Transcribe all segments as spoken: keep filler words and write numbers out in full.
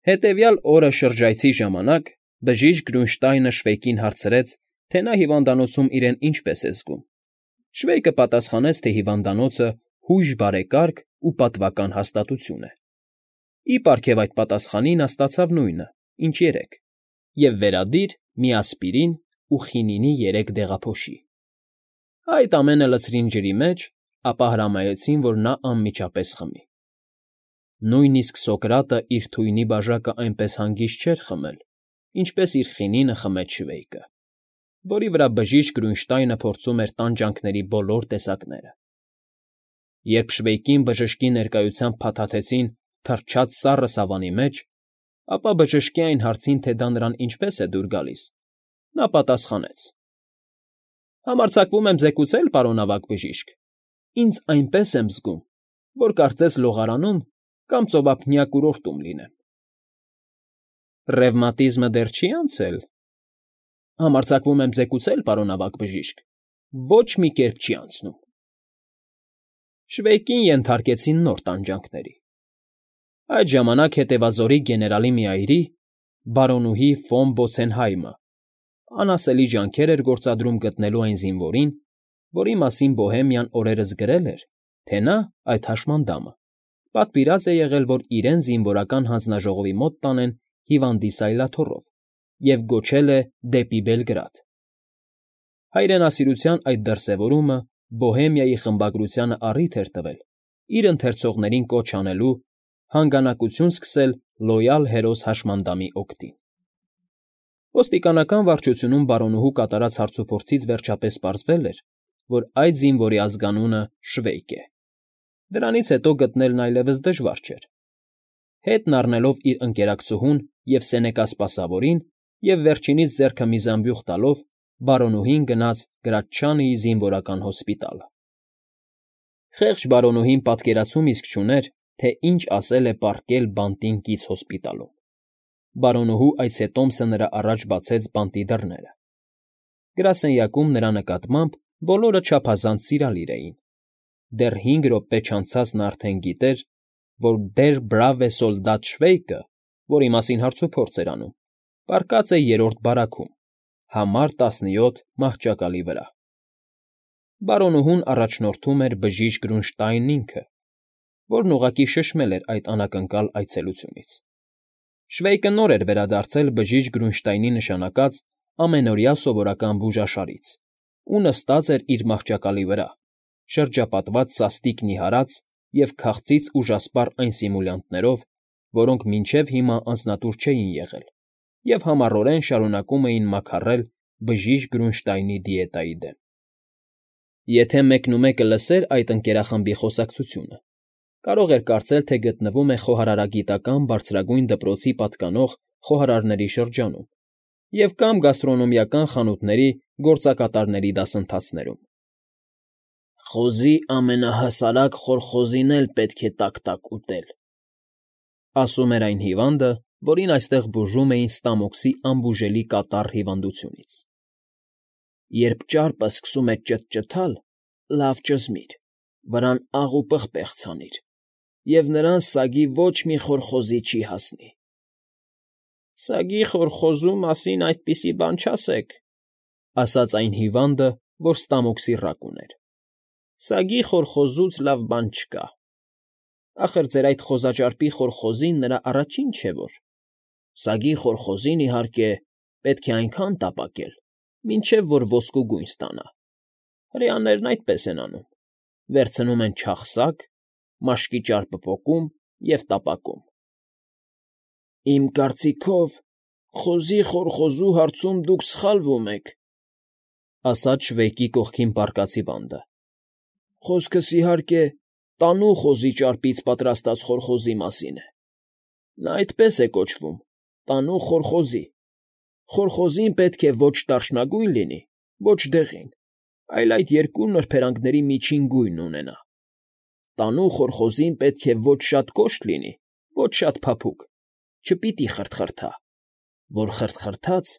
Հետևյալ օրը շրջայցի ժամանակ բժիշկ Գրունշտայնը Շվեյկին հարցրեց, թե նա հիվանդանոցում իրեն ինչպես է զգում։ Շվեյկը պատասխանեց, թե հիվանդանոցը հույժ բարեկարգ ու պատվական հաստատություն է։ Ի պարգև այդ պատասխանի նա ստացավ նույնը, ինչ երեկ, և վերադիր մի ասպիրին ու խինինի երեք դեղափոշի։ Այդ ամենը լցրին ջրի մեջ, ապա հրամայեցին, որ նա անմիջապես խմի։ Նույնիսկ Սոկրատը իր թույնի բաժակը այնպես հանգիստ չէր խմել, ինչպես իր խինինը խմեց Շվեյկը, որի վրա բժիշկ Գրունշտայնը փորձում էր տանջանքների բոլոր տեսակները։ Երբ Շվեյկին բժշկի ներկայությամբ փաթաթեցին թռչած սառը սավանի մեջ, ապա բժշկի այն հարցին, թե դա նրան ինչպես է դուր գալիս, նա պատասխանեց. «Համարձակվում եմ զեկուցել, պարոն ավագ բժիշկ, ինձ այնպես եմ զգում, որ կարծես լողարանում կամ ծովափնյա կուրորտում լինեմ»։ «Ռևմատիզմը դեռ չի անցե՞լ»։ «Համարձակվում եմ զեկուցել, պարոն ավագ բժիշկ, ոչ մի կերպ չի անցնում»։ Շվեյկին ենթարկեցին նոր տանջանքների։ Այդ ժամանակ հետևազորի գեներալի մի այրի, բարոնուհի ֆոն Բոցենհայմը, անասելի ջանքեր էր գործադրում գտնելու այն զինվորին, որի մասին Բոհեմիան օրերս գրել էր, թե նա, այդ հաշմանդամը, պատվիրած է եղել, որ իրեն զինվորական հանձնաժողովի մոտ տանեն հիվանդի սայլաթոռով և գոչել է դեպի Բելգրադ։ Հայրենասիրության այդ դրսևորումը Բոհեմիայի խմբագրությանը առիթ էր տվել իր ընթերցողներին կոչ անելու հանգանակություն սկսել լոյալ հերոս հաշմանդամի օգտին։ Ոստիկանական վարչությունում բարոնուհու կատարած հարցուփորձից վերջապես պարզվել էր, որ այդ զինվորի ազգանունը Շվեյկ է։ Դրանից հետո գտնելն այլևս դժվար չէր։ Հետն առնելով իր ընկերակցուհուն և Սենեկա սպասավորին և վերջինիս ձեռքը մի զամբյուղ տալով, բարոնուհին գնաց Գրաչչանիի զինվորական հոսպիտալը։ Խեղճ բարոնուհին պատկերացում իսկ չուներ, թե ինչ ասել է պառկել բանտին կից հոսպիտալում։ Բարոնուհու այցետոմսը նրա առաջ բացեց բանտի դռները։ Գրասենյակում նրա նկատմամբ բոլորը չափազանց սիրալիր էին։ Դեռ հինգ րոպե չանցած նա արդեն գիտեր, որ դեր բրավե սոլդատ Շվեյկը, որի մասին հարցուփորձ էր անում, պառկած է երրորդ բարաքում, համար տասնյոթ մահճակալի վրա։ Բարոնուհուն առաջնորդում էր բժիշկ Գրունշտայնն ինքը, որն ուղղակի շշմել էր այդ անակնկալ այցելությունից։ Շվեյկը նոր էր վերադարձել բժիշկ Գրունշտայնի նշանակած ամենօրյա սովորական բուժաշարից ու նստած էր իր մահճակալի վրա, շրջապատված սաստիկ նիհարած և քաղցից ուժասպառ այն սիմուլյանտներով, որոնք մինչև հիմա անձնատուր չէին եղել և համառորեն շարունակում էին մաքարել բժիշկ Գրունշտայնի դիետայի դեմ։ Եթե մեկնումեկը լսեր այդ ընկերախմբի խոսակցությունը, կարող էր կարծել, թե գտնվում է խոհարարագիտական բարձրագույն դպրոցի պատկանող խոհարարների շրջանում և կամ գաստրոնոմիական խանութների գործակատարների դասընթացներում։ «Խոզի ամենահասարակ խորխոզին էլ պետք է տաք֊տաք ուտել», ասում էր այն հիվանդը, որին այստեղ բուժում էին ստամոքսի անբուժելի կատառ հիվանդությունից։ «Երբ ճարպը սկսում է ճթճթալ, լավ ճզմիր, վրան աղ ու պղպեղ ցանիր, և նրան սագի ոչ մի խորխոզի չի հասնի»։ «Սագի խորխոզու մասին այդպիսի բան չասեք», ասաց այն հիվանդը, որ ստամոքսի ռակ ուներ։ «Սագի խորխոզուց լավ բան չկա։ Ախր ձեր այդ խոզաճարպի խորխոզին նրա առաջին չէ որ։ Սագի խորխոզին, իհարկե, պետք է այնքան տապակել, մինչև որ ոսկու գույն ստանա։ Հրեաներն այդպես են անում. վերցնում են չաղ սագ, մաշկի ճարպը պոկում և տապակում»։ «Իմ կարծիքով, խոզի խորխոզու հարցում դուք սխալվում եք», ասաց Շվեյկի կողքին պառկած հիվանդը։ «Խոսքս, իհարկե, տանու խոզի ճարպից պատրաստած խորխոզի մասին է։ Նա այդպես է կոչվում՝ տանու խորխոզի։ Խորխոզին պետք է ոչ դարչնագույն լինի, ոչ դեղին, այլ այդ երկու նրբերանգների միջին գույնն ունենա։ Տանու խորխոզին պետք է ոչ շատ կոշտ լինի, ոչ շատ փափուկ, չպիտի խրթխրթա, որ խրթխրթաց,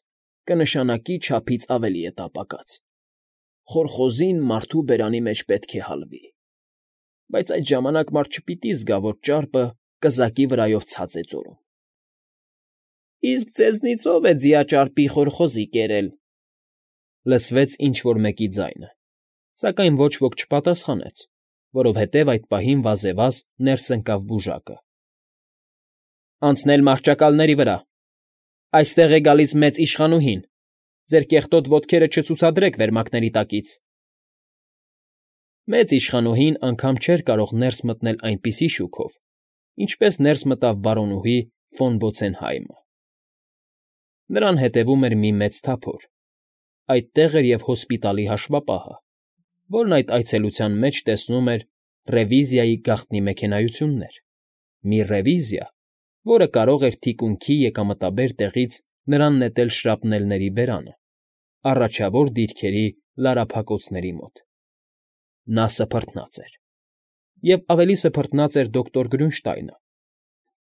կնշանակի չափից ավելի է տապակած։ Խորխոզին մարդու բերանի մեջ պետք է հալվի։ Բայց այդ ժամանակ մարդ չպիտի զգա, որ ճարպը կզակի վրայով ցած է ձորում։ Իսկ ձեզնից ո՞վ է ձիաճարպի խորխոզի կերել,֊ լսվեց ինչ֊որ մեկի ձայնը, սակայն ոչ ոք չպատասխանեց, որովհետև այդ պահին վազեվազ ներս ընկավ բուժակը։ ֊ Անցնել մահճակալների վրա… Այստեղ է գալիս մեծ իշխանուհին… Ձեր կեղտոտ ոտքերը չցուցադրեք վերմակների տակից… Մեծ իշխանուհին անգամ չէր կարող ներս մտնել այնպիսի շուքով, ինչպես ներս մտավ բարոնուհի ֆոն Բոցենհայմը. նրան հետևում էր մի մեծ թափոր. այդտեղ էր և հոսպիտալի հաշվապահը, որն այդ այցելության մեջ տեսնում էր ռևիզիայի գաղտնի մեքենայություններ, մի ռևիզիա, որը կարող էր թիկունքի եկամտաբեր տեղից նրան նետել շրապնելների բերանը, առաջավոր դիրքերի լարափակոցների մոտ… Նա սփռթնած էր… Եվ ավելի սփռթնած էր դոկտոր Գրյունշտայնը.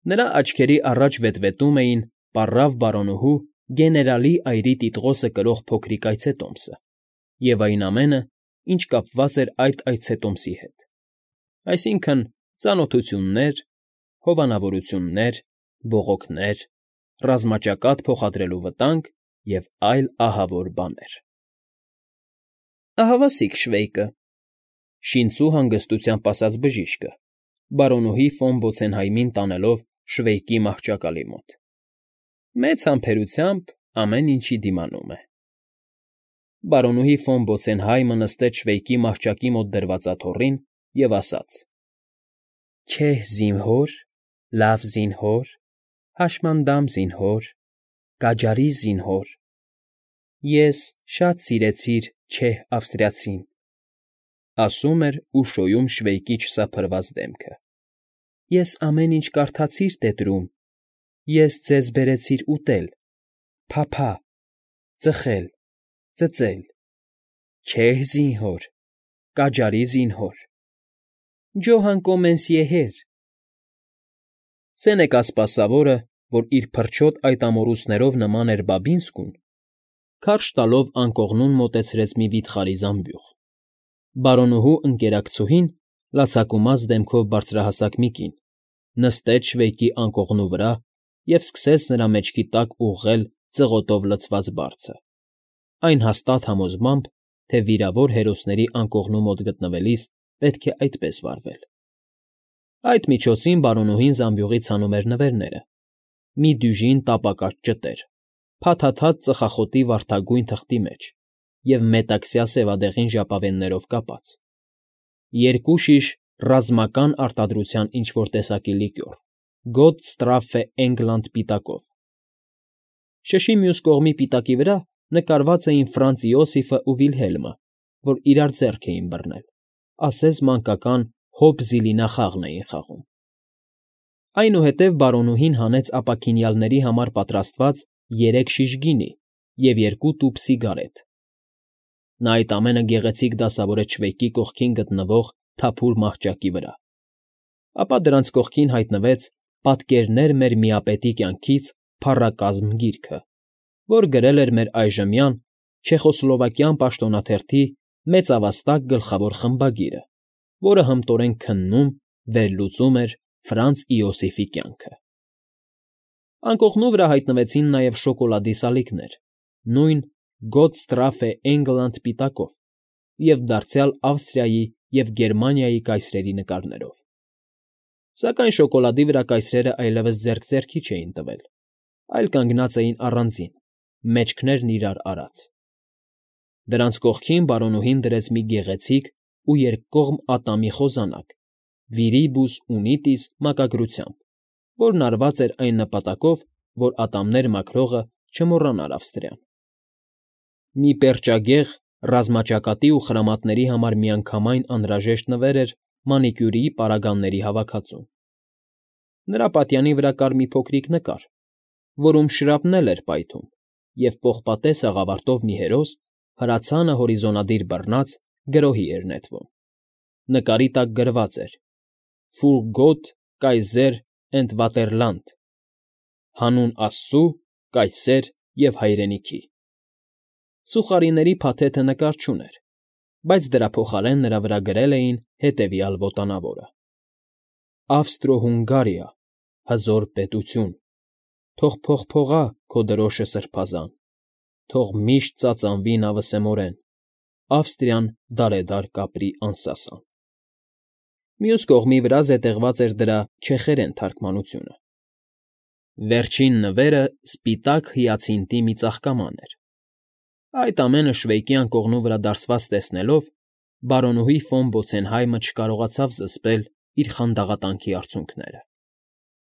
նրա աչքերի առաջ վետվետում էին պառավ բարոնուհու գեներալի այրի տիտղոսը կրող փոքրիկ այցետոմսը և այն ամենը, ինչ կապված էր այդ այցետոմսի հետ, այսինքն՝ ծանոթություններ, հովանավորություններ, բողոքներ, ռազմաճակատ փոխադրելու վտանգ և այլ ահավոր բաներ… Ահավասիկ Շվեյկը,֊ շինծու հանգստությամբ ասաց բժիշկը, բարոնուհի ֆոն Բոցենհայմին տանելով Շվեյկի մահճակալի մոտ,֊ մեծ համբերությամբ ամեն ինչի դիմանում է… Բարոնուհի ֆոն Բոցենհայմը նստեց Շվեյկի մահճակի մոտ դրված աթոռին և ասաց. Չեհ զինհոր, լավ զինհոր, հաշմանդամ զինհոր, կաջարի զինհոր, ես շատ սիրեցիր չեհ ավստրիացին,֊ ասում էր ու շոյում Շվեյկի չսափրված դեմքը,֊ ես ամեն ինչ կարդացիր տետրում, ես ձեզ բերեցիր ուտել, փափա, ծխել, ծծել, չեհ զինհոր, կաջարի զինհոր, ջոհան կոմենսիեհեր… Սենեկա սպասավորը, որ իր փրչոտ այդ ամոռոցներով նման էր Բաբինսկուն, քարշ տալով անկողնուն մոտեցրեց մի վիթխարի զամբյուղ. բարոնուհու ընկերակցուհին, լացակումած դեմքով բարձրահասակ մի կին, նստեց Շվեյկի անկողնու վրա և սկսեց նրա մեջքի տակ ուղղել ծղոտով լցված բարձը, այն հաստատ համոզմամբ, թե վիրավոր հերոսների անկողնու մոտ գտնվելիս պետք է այդպես վարվել… Այդ միջոցին բարոնուհին զամբյուղից հանում էր նվերները, մի դյուժին տապակած ճտեր, փաթաթած ծխախոտի վարդագույն թղթի մեջ և մետաքսյա սևադեղին ժապավեններով կապած, երկու շիշ ռազմական արտադրության ինչ֊որ տեսակի լիկյոր, Գոտ Ստրաֆֆե Էնգլանդ պիտակով… Շշի մյուս կողմի պիտակի վրա նկարված էին Ֆրանց Իոսիֆն ու Վիլհելմը, որ իրար ձեռք էին բռնել, ասես մանկական Հոբ֊Զիլինա խաղն էին խաղում… Այնուհետև բարոնուհին հանեց ապաքինյալների համար պատրաստված երեք շիշ գինի և երկու տուփ սիգարետ… Նա այդ ամենը գեղեցիկ դասավորեց Շվեյկի կողքին գտնվող թափուր մահճակի վրա, ապա դրանց կողքին հայտնվեց «Պատկերներ մեր միապետի կյանքից» փառակազմ գիրքը, որ գրել էր մեր այժմյան չեխոսլովակյան պաշտոնաթերթի մեծավաստակ գլխավոր խմբագիրը, որը հմտորեն քննում, վերլուծում էր Ֆրանց Իոսիֆի կյանքը… Անկողնու վրա հայտնվեցին նաև շոկոլադի սալիկներ, նույն Գոտ Ստրաֆֆե Էնգլանդ պիտակով և դարձյալ Ավստրիայի և Գերմանիայի կայսրերի նկարներով… Սակայն շոկոլադի վրա կայսրերը այլևս ձեռք ձեռքի չէին տվել, այլ կանգնած էին առանձին, մեջքներն իրար արած… Դրանց կողքին բարոնուհին դրեց մի գեղեցիկ ու երկկողմ ատամի խոզանակ Վիրիբուս Ունիտիս մակագրությամբ, որն արված էր այն նպատակով, որ ատամներ մաքրողը չմոռանար Ավստրիան… Մի պերճագեղ, ռազմաճակատի ու խրամատների համար միանգամայն անհրաժեշտ նվեր էր մանիկյուրիի պարագաների հավաքածուն… Նրա պատյանի վրա կար մի փոքրիկ նկար, որում շրապնել էր պայթում, և պողպատե սաղավարտով մի հերոս, հրացանը հորիզոնադիր բռնած, գրոհի էր նետվում… Նկարի տակ գրված էր. «Ֆուր Գոտ, Կայզեր էնդ Վատերլանդ» (Հանուն Աստծու, կայսեր և հայրենիքի)… Սուխարիների փաթեթը նկար չուներ, բայց դրա փոխարեն նրա վրա գրել էին հետևյալ ոտանավորը. Ավստրո֊Հունգարիա, հզոր պետություն, Թող փողփողա քո դրոշը սրբազան, թող միշտ ծածանվի նա վսեմորեն, Ավստրիան դարեդար կապրի անսասան։ Մյուս կողմի վրա զետեղված էր դրա չեխերեն թարգմանությունը։ Վերջին նվերը սպիտակ հիացինտի մի ծաղկաման էր։ Այդ ամենը Շվեյկի անկողնու վրա դարսված տեսնելով, բարոնուհի ֆոն Բոցենհայմը չկարողացավ զսպել իր խանդաղատանքի արցունքները։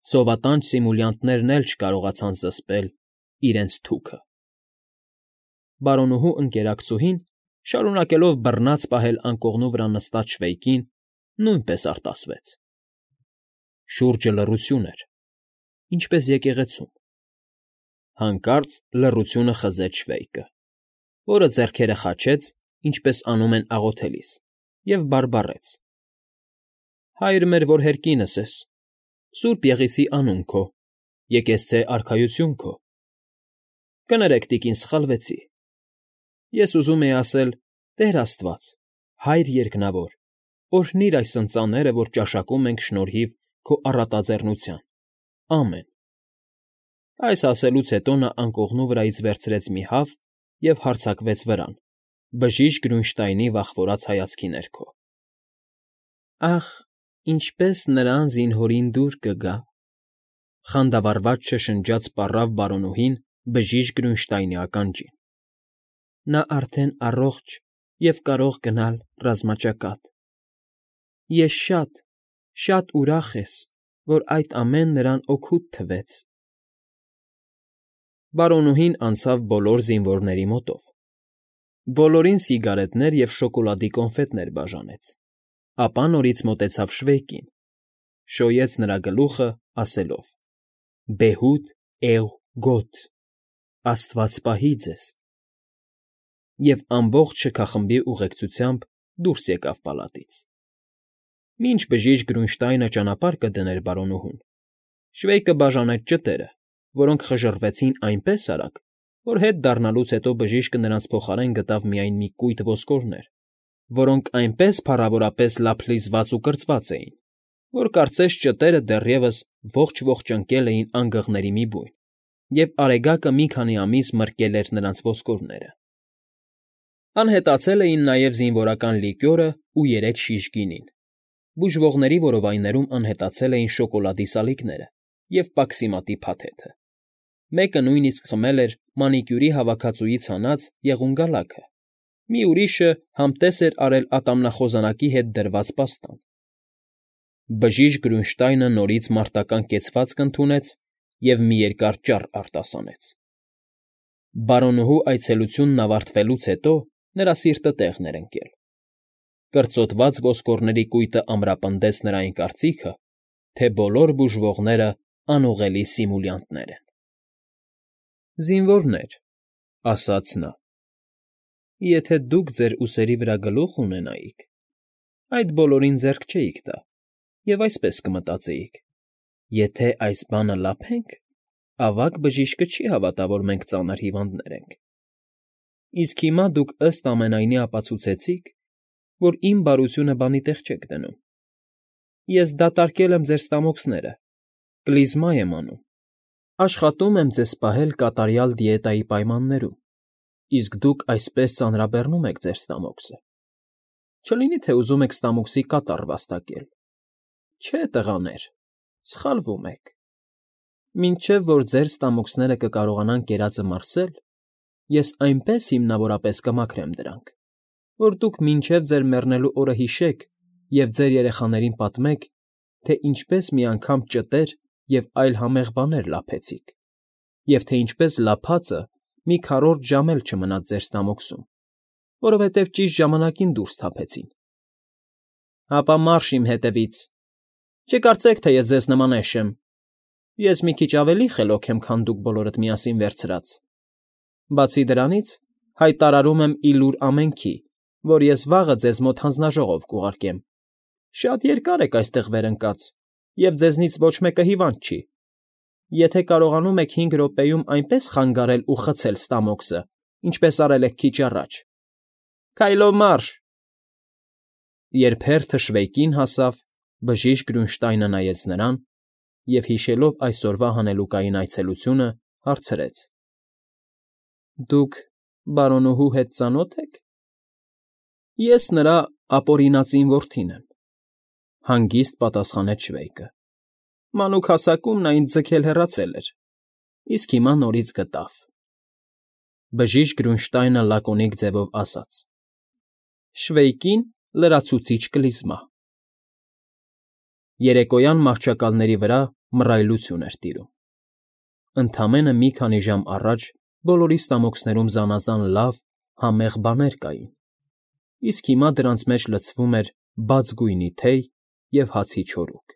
Սովատանչ սիմուլյանտներն էլ չկարողացան զսպել իրենց թուքը։ Բարոնուհու ընկերակցուհին, շարունակելով բռնած պահել անկողնու վրա նստած Շվեյկին, նույնպես արտասվեց։ Շուրջը լռություն էր, ինչպես եկեղեցում։ Հանկարծ լռությունը խզեց Շվեյկը, որը ձեռքերը խաչեց, ինչպես անում են աղոթելիս, և բարբառեց. «Հայր մեր, որ հերկինս ես, սուրբ եղիցի անուն քո, եկեսցե արքայություն քո»։ Կներեք, տիկին, սխալվեցի։ Ես ուզում էի ասել. «Տեր Աստված, Հայր երկնավոր, օրհնիր այս ընծաները, որ ճաշակում ենք շնորհիվ քո առատաձեռնության, ամեն»։ Այս ասելուց հետո նա անկողնու վրայից վերցրեց մի հավ և հարձակվեց վրան, բժիշկ Գրունշտայնի վախվորած հայացքի ներքո։ «Ախ, ինչպես նրան զինհորին դուր կգա», խանդավառված շշնջաց պառավ բարոնուհին բժիշկ Գրունշտայնի ականջին։ «Նա արդեն առողջ և կարող գնալ ռազմաճակատ։ Ես շատ, շատ ուրախ ես, որ այդ ամենը նրան օգուտ թվեց»։ Բարոնուհին անցավ բոլոր զինվորների մոտով, բոլորին սիգարետներ և շոկոլադի կոնֆետներ բաժանեց, ապա նորից մոտեցավ Շվեյկին, շոյեց նրա գլուխը, ասելով. «Բեհուդ էղ գոտ, Աստված պահի ձեզ», և ամբողջ շքախմբի ուղեկցությամբ դուրս եկավ պալատից։ Մինչ բժիշկ Գրունշտայնը ճանապարհ կդներ բարոնուհուն, Շվեյկը բաժանեց ճտերը, որոնք խժռվեցին այնպես արագ, որ հետ դառնալուց հետո բժիշկը նրանց փոխարեն գտավ միայն մի կույտ ոսկորներ, որոնք այնպես փառավորապես լափլիզված ու կրծված էին, որ կարծես ճտերը դեռևս ողջ֊ողջ ընկել էին անգղների մի բույն, և Արեգակը մի քանի ամիս մրկել էր նրանց ոսկորները։ Անհետացել էին նաև զինվորական լիկյորն ու երեք շիշ գինին, բուժվողների որովայներում անհետացել էին շոկոլադի սալիկները և պաքսիմատի փաթեթը։ Մեկը նույնիսկ խմել էր մանիկյուրի հավաքածուից հանած եղունգալաքը, մի ուրիշը համտես էր արել ատամնախոզանակի հետ դրված պաստան։ Բժիշկ Գրունշտայնը նորից մարտական կեցվածք ընդունեց և մի երկար ճառ արտասանեց։ Բարոնուհու այցելությունն ավարտվելուց հետո նրա սիրտը տեղն էր ընկել։ Կրծոտված ոսկորների կույտը ամրապնդեց նրա այն կարծիքը, թե բոլոր բուժվողները անուղղելի սիմուլյանտներ են։ «Զինվորներ», ֊ ասաց նա, ֊ «եթե դուք ձեր ուսերի վրա գլուխ ունենայիք, այդ բոլորին ձեռք չէիք տա և այսպես կմտածեիք. եթե այս բանը լափենք, ավագ բժիշկը չի հավատա, որ մենք ծանր հիվանդներ ենք։ Իսկ հիմա դուք ըստ ամենայնի ապացուցեցիք, որ իմ բարությունը բանի տեղ չեք դնում։ Ես դատարկել եմ ձեր ստամոքսները, կլիզմա եմ անում, աշխատում եմ ձեզ պահել կատարյալ դիետայի պայմաններում, իսկ դուք այսպես ծանրաբեռնում եք ձեր ստամոքսը։ Չլինի թե ուզում եք ստամոքսի կատար վաստակել։ Չէ, տղաներ, սխալվում եք։ Մինչև որ ձեր ստամոքսները կկարողանան կերածը մարսել, ես այնպես հիմնավորապես կմաքրեմ դրանք, որ դուք մինչև ձեր մեռնելու օրը հիշեք և ձեր երեխաներին պատմեք, թե ինչպես մի անգամ ճտեր և այլ համեղ բաներ լափեցիք, և թե ինչպես լափածը մի քառորդ ժամ էլ չմնաց ձեր ստամոքսում, որովհետև ճիշտ ժամանակին դուրս թափեցին։ Հապա մարշ իմ հետևից։ Չկարծեք, թե ես ձեզ նման էշ եմ։ Ես մի քիչ ավելի խելոք եմ, քան դուք բոլորդ միասին վերցրած։ Բացի դրանից, հայտարարում եմ ի լուր ամենքի, որ ես վաղը ձեզ մոտ հանձնաժողով կուղարկեմ։ Շատ երկար եք այստեղ վեր ընկած, և ձեզնից ոչ մեկը հիվանդ չի։ Եթե կարողանում եք հինգ րոպեում այնպես խանգարել ու խցել ստամոքսը, ինչպես արել եք քիչ առաջ։ Քայլով մարշ։ Երբ հերթը Շվեյկին հասավ, բժիշկ Գրունշտայնը նայեց նրան և, հիշելով այսօրվա հանելուկային այցելությունը, հարցրեց. ֊ Դուք բարոնուհու հետ ծանո՞թ եք։ ֊ Ես նրա ապօրինածին որդին եմ,֊ հանգիստ պատասխանեց շվեյկը։ ֊ Մանուկ հասակում նա ինձ ձգել հեռացել էր, իսկ հիմա նորից գտավ… Բժիշկ Գրունշտայնը լակոնիկ ձևով ասաց. Շվեյկին լրացուցիչ կլիզմա… Երեկոյան մահճակալների վրա մռայլություն էր տիրում. ընդամենը մի քանի ժամ առաջ բոլորի ստամոքսներում զանազան լավ, համեղ բաներ կային, իսկ հիմա դրանց մեջ լցվում էր բաց գույնի թեյ և հացի չորուկ…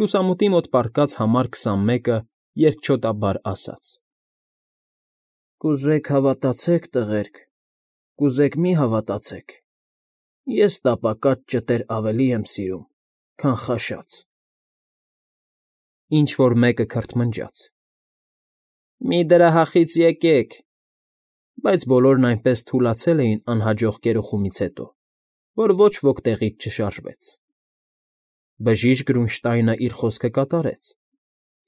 Լուսամուտի մոտ պառկած համար քսանմեկը երկչոտաբար ասաց. Կուզեք հավատացեք, տղերք, կուզեք մի հավատացեք, ես տապակած ճտեր ավելի եմ սիրում, քան խաշած… Ինչ֊որ մեկը քրթմնջաց. Մի դրահախից եկեք… Բայց բոլորն այնպես թուլացել էին անհաջող կերոխումից հետո, որ ոչ ոք տեղից չշարժվեց… Բժիշկ Գրունշտայնը իր խոսքը կատարեց.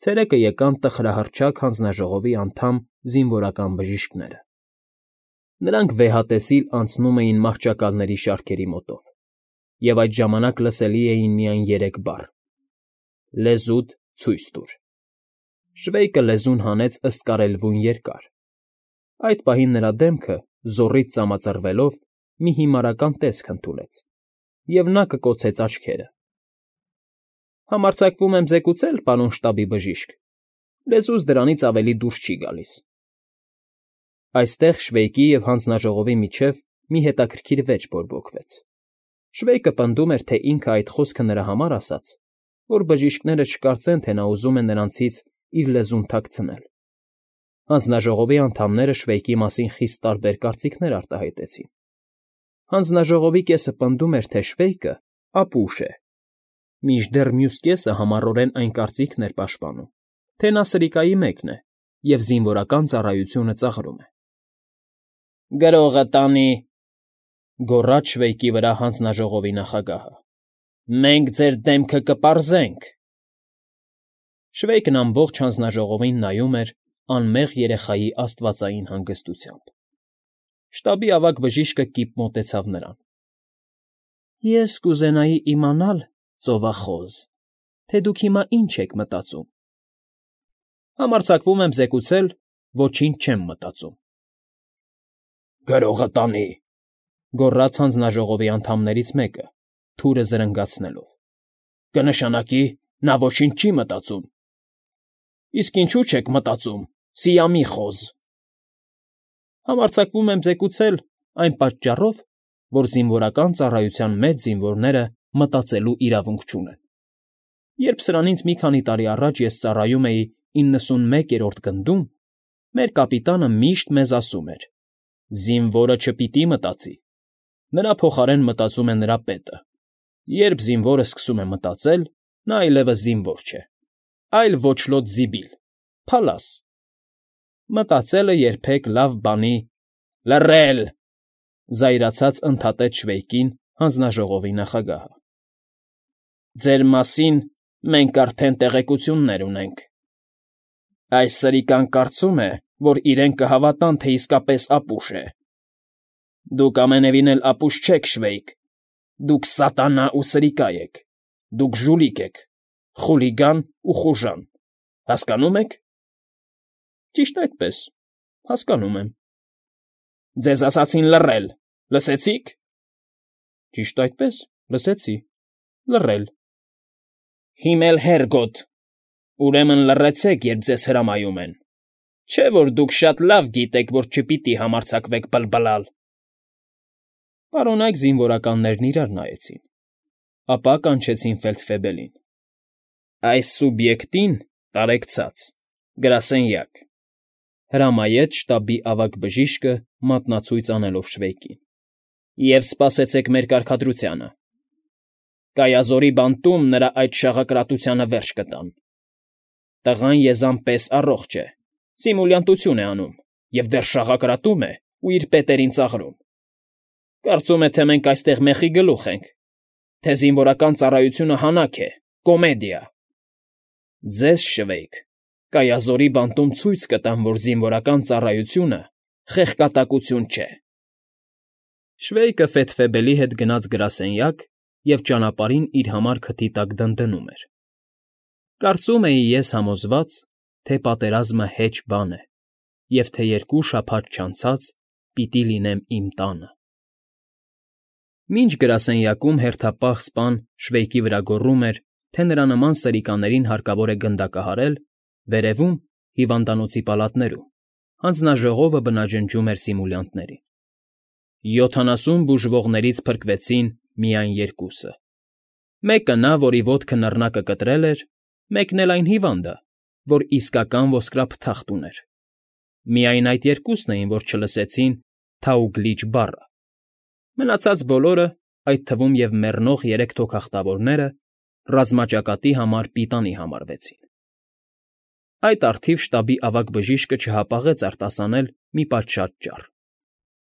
ցերեկը եկան տխրահռչակ հանձնաժողովի անդամ զինվորական բժիշկները… Նրանք վեհատեսիլ անցնում էին մահճակալների շարքերի մոտով, և այդ ժամանակ լսելի էին միայն երեք բառ. «Լեզուդ ցույց տուր»… Շվեյկը լեզուն հանեց ըստ կարելրույն երկար… Այդ պահին նրա դեմքը, զոռից ծամածռվելով, մի հիմարական տեսք ընդունեց, և նա կկոցեց աչքերը… Համարձակվում եմ զեկուցել, պարոն շտաբի բժիշկ, լեզուս դրանից ավելի դուրս չի գալիս… Այստեղ շվեյկի և հանձնաժողովի միջև մի հետաքրքիր վեճ բորբոքվեց… Շվեյկը պնդում էր, թե ինքը այդ խոսքը նրա համար ասաց, որ բժիշկները չկարծեն, թե նա ուզում է նրանցից իր լեզուն թաքցնել… Հանձնաժողովի անդամները Շվեյկի մասին խիստ տարբեր կարծիքներ արտահայտեցին… Հանձնաժողովի կեսը պնդում էր, թե Շվեյկը ապուշ է, մինչդեռ մյուս կեսը համառորեն այն կարծիքն էր պաշտպանում, թե նա սրիկայի մեկն է և զինվորական ծառայությունը ծաղրում է… ֊ Գրողը տանի,֊ գոռաց շվեյկի վրա հանձնաժողովի նախագահը,֊ մենք ձեր դեմքը կպարզենք… Շվեյկն ամբողջ հանձնաժողովին նայում էր անմեղ երեխայի աստվածային հանգստությամբ… Շտաբի ավագ բժիշկը կիպ մոտեցավ նրան. ֊ Ես կուզենայի իմանալ, ծովախոզ, թե դուք հիմա ինչ եք մտածում… ֊ Համարձակվում եմ զեկուցել, ոչինչ չեմ մտածում… ֊ Գրողը տանի,֊ գոռաց հանձնաժողովի անդամներից մեկը, թուրը զրնգացնելով,֊ կնշանակի, նա ոչինչ չի մտածում… ֊ Իսկ ինչու՞ չեք մտածում, սիամի խոզ… ֊ Համարձակվում եմ զեկուցել այն պատճառով, որ զինվորական ծառայության մեջ զինվորները մտածելու իրավունք չունեն… Երբ սրանից մի քանի տարի առաջ ես ծառայում էի իննսունմեկերորդ գնդում, մեր կապիտանը միշտ մեզ ասում էր. «Զինվորը չպիտի մտածի, նրա փոխարեն մտածում է նրա պետը… Երբ զինվորը սկսում է մտածել, նա այլևս զինվոր չէ, այլ ոչլոտ զիբիլ, փալաս… Մտածելը երբեք լավ բանի…»… Լռել,֊ զայրացած ընդհատեց Շվեյկին հանձնաժողովի նախագահը։֊ Ձեր մասին մենք արդեն տեղեկություններ ունենք… Այս սրիկան կարծում է, որ իրեն կհավատան, թե իսկապես ապուշ է… Դուք ամենևին էլ ապուշ չեք, Շվեյկ, դուք սատանա ու սրիկա եք, դուք ժուլիկ եք, խուլիգան ու խուժան… Հասկանո՞ւմ եք… ֊ Ճիշտ այդպես, հասկանում եմ… ֊ Ձեզ ասացին լռել… Լսեցի՞ք… ֊ Ճիշտ այդպես, լսեցի… Լռել… ֊ Հիմել Հերգոդ… Ուրեմն լռեցեք, երբ ձեզ հրամայում են… Չէ՞ որ դուք շատ լավ գիտեք, որ չպիտի համարձակվեք բլբլալ… Պարոնայք զինվորականներն իրար նայեցին, ապա կանչեցին ֆելդֆեբելին. «Այս սուբյեկտին տարեք ցած, գրասենյակ…»… հրամայեց շտաբի ավագ բժիշկը մատնացույց անելով Շվեյկին։֊ Եվ սպասեցեք մեր կարգադրությանը… Կայազորի բանտում նրա այդ շաղակրատությանը վերջ կտան… Տղան եզան պես առողջ է, սիմուլյանտություն է անում և դեռ շաղակրատում է ու իր պետերին ծաղրում… Կարծում է, թե մենք այստեղ մեխի գլուխ ենք, թե զինվորական ծառայությունը հանաք է, կոմեդիա… Ձեզ, Շվեյք, Կայազորի բանտում ցույց կտամ, որ զինվորական ծառայությունը խեղկատակություն չէ… Շվեյկը ֆեթվեբելի հետ գնաց գրասենյակ և ճանապարհին իր համար քթի տակ դնդնում էր. «Կարծում էի ես համոզված, թե պատերազմը հեչ բան է, և թե երկու շաբաթ չանցած պիտի լինեմ իմ տանը»։ Մինչ գրասենյակում հերթապահ սպան Շվեյկի վրա գոռում էր, թե նրա նման սրիկաներին հարկավոր է գնդակահարել, վերևում, հիվանդանոցի պալատներում, հանձնաժողովը բնաջնջում էր սիմուլյանտներին. յոթանասուն բուժվողներից փրկվեցին միայն երկուսը. մեկը նա, որի ոտքը նռնակը կտրել էր, մեկն էլ այն հիվանդը, որ իսկական ոսկրափթախտ ուներ. միայն այդ երկուսն էին, որ չլսեցին «Թաուգլիչ» բառը, մնացած բոլորը, այդ թվում և մեռնող երեք թոքախտավորները, ռազմաճակատի համար պիտանի համարվեցին։ Այդ առթիվ շտաբի ավագ բժիշկը չհապաղեց արտասանել մի պատշաճ ճառ.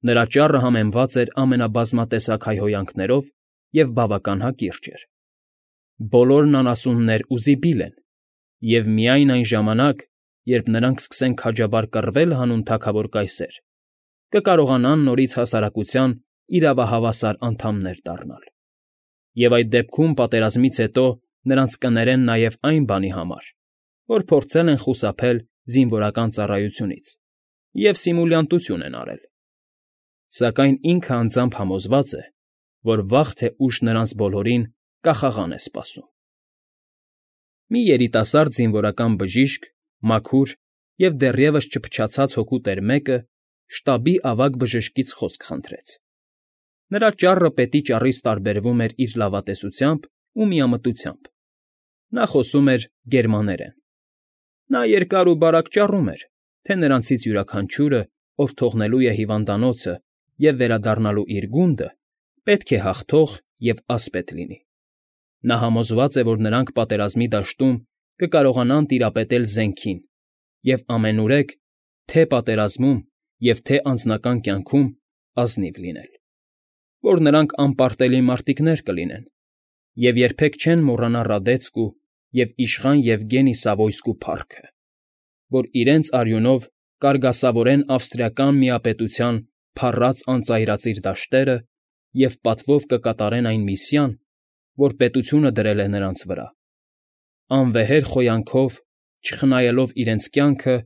նրա ճառը համեմված էր ամենաբազմատեսակ հայհոյանքներով և բավական հակիրճ էր. բոլորն անասուններ ու զիբիլ են, և միայն այն ժամանակ, երբ նրանք սկսեն քաջաբար կռվել հանուն թագավոր կայսեր, կկարողանան նորից հասարակության իրավահավասար անդամներ դառնալ, և այդ դեպքում պատերազմից հետո նրանց կներեն նաև այն բանի համար, որ փորձել են խուսափել զինվորական ծառայությունից և սիմուլյանտություն են արել, սակայն ինքը անձամբ համոզված է, որ վաղ թե ուշ նրանց բոլորին կախաղան է սպասում։ Մի երիտասարդ զինվորական բժիշկ, մաքուր և դեռևս չփչացած հոգու տեր մեկը շտաբի ավագ բժշկից խոսք խնդրեց. նրա ճառը պետի ճառից տարբերվում էր իր լավատեսությամբ ու միամտությամբ. նա խոսում էր գերմաներեն։ Նա երկար ու բարակ ճառում էր, թե նրանցից յուրաքանչյուրը, ով թողնելու է հիվանդանոցը և վերադառնալու իր գունդը, պետք է հաղթող և ասպետ լինի։ Նա համոզված է, որ նրանք պատերազմի դաշտում կկարողանան տիրապետել զենքին և ամենուրեք թե՛ պատերազմում և թե՛ անձնական կյանքում ազնիվ լինել, որ նրանք անպարտելի մարտիկներ կլինեն և երբեք չեն մոռանա Ռադեցկու և իշխան Եվգենի Սավոյսկու փառքը, որ իրենց արյունով կարգասավորեն ավստրիական միապետության փառած անծայրածիր դաշտերը և պատվով կկատարեն այն միսիան, որ պետությունը դրել է նրանց վրա. անվեհեր խոյանքով, չխնայելով իրենց կյանքը,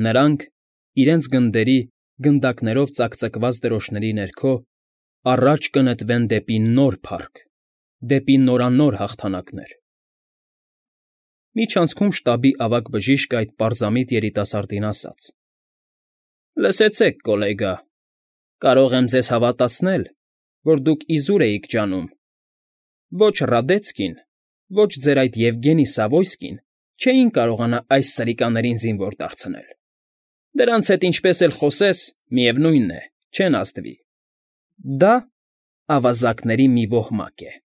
նրանք, իրենց գնդերի գնդակներով ծակծկված դրոշների ներքո, առաջ կնետվեն դեպի նոր փառք, դեպի նորանոր հաղթանակներ… Միջանցքում շտաբի ավագ բժիշկը այդ պարզամիտ երիտասարդին ասաց. «Լսեցեք, կոլեգա, կարող եմ ձեզ հավատացնել, որ դուք իզուր էիք ջանում. ոչ Ռադեցկին, ոչ ձեր այդ Եվգենի Սավոյսկին չէին կարողանա այս սրիկաներին զինվոր դարձնել. դրանց հետ ինչպես էլ խոսես, միևնույն է, չեն ազդվի… Դա ավազակների մի ոհմակ է»։